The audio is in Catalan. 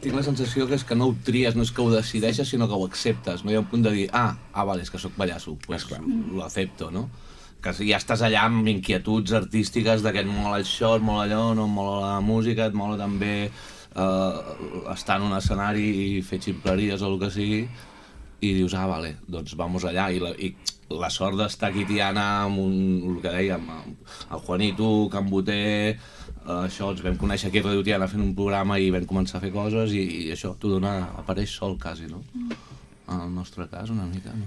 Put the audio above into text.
Tinc la sensació que és que no ho tries, no és que ho decideixes, sinó que ho acceptes. No hi ha un punt de dir, vale, és que sóc pallasso, pues lo acepto, no? Que ja estàs allà amb inquietuds artístiques de que et mola això, et mola allò, no et mola la música, et mola també estar en un escenari i fer ximpleries o el que sigui, i dius, vale, doncs vamos allà. I la sort d'estar aquí, Tiana, amb el que dèiem, el Juanito, Can Boter, això, ens vam conèixer aquí a Radio Tiana fent un programa i vam començar a fer coses i això t'ho dona, apareix sol quasi, no? En el nostre cas, una mica, no sé.